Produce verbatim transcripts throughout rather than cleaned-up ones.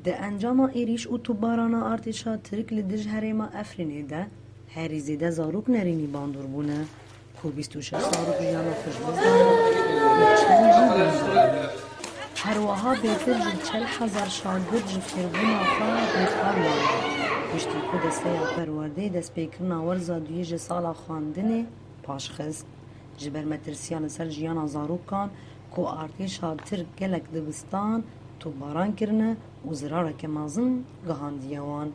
Di encama êrîş û topbarana artêşa Tirk li dij herêma Efrînê de herî zêde zarok nerînî bandor bûne ku bîst û şeş zarok jiyana xwe ji dest dane û çend jî bandor bûne. Her wiha bêtir ji çil hezar şagird ji fêrbûna xwe bêkar mane. Piştî ku Desteya Perwerdeyê destpêkirina werza duyê ji sala xwendinê paşxist, ji ber metirsiya li ser jiyana zarokan ku artêşa Tirk gelek dibistan topbaran kirine û zirareke mezin gihandiye wan.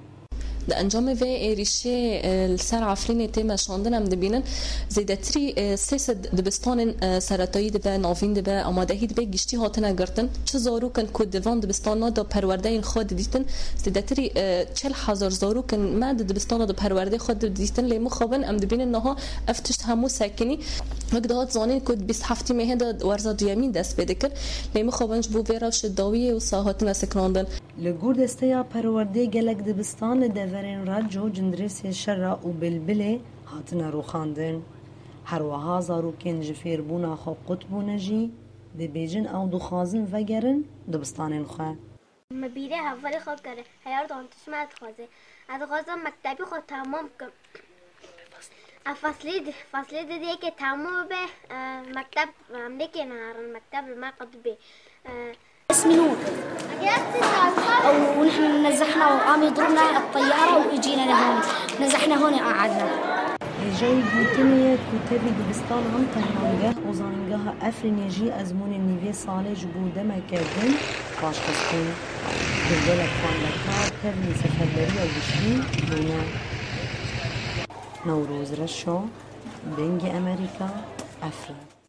Di encamê vê êrîşê, e, li ser Efrînê tê meşandin, em dibînin zêdetirî, e, sê sed dibistanên, e, seretayî dibe, navîn dibe, amadehî dibe, giştî hatine girtin. Çi zarok in ku di van dibistana de perwerdeyên xwe didîtin, zêdetirî, e, çil hezar zarok in me di dibistana de perwerdeyê xwe didîtin, lê mixabin em dibînin niha ev tişt hemû sekinî. Wek dihat zanîn ku di bîst heftê mehê de werza duyemîn dest pê dikir, lê mixabin ji bo vê rewşê dawiyê wisa hatine sekinandin. Li gor Desteya Perwerdê gelek dibistan li deverên Reco, Cindirêsê Şera û Bilbilê hatine rûxandin. Her wiha zarokên ji fêrbûna xwe qut bûne jî dibêjin ew dixwazin vegerin dibistanên xwe. Me bîrê hevalê xwe kire, heya dan tişt me dixwaze. Ez dixwazim mektebî xwe temam bikim. Ev feslê di-, feslê didê yekê temam bibe, e, mekteb, em lêkê neherin, mekteb li me qut bê. E, اسمي نور. ونحن نزحنا وقام يضربنا الطيارة وإجينا لهون. نزحنا هون قعدنا. Hêjayî gotinê ye ku tevî dibistanan Tehrangeh û Zanîngeha Efrînê jî ezmûnên nîvê salê ji bo demeke din paşxist bûn. Gelek xwendekar tevî seferberiya giştî bûne. Newroz Reşo, Dengê Emerîka, Efrîn.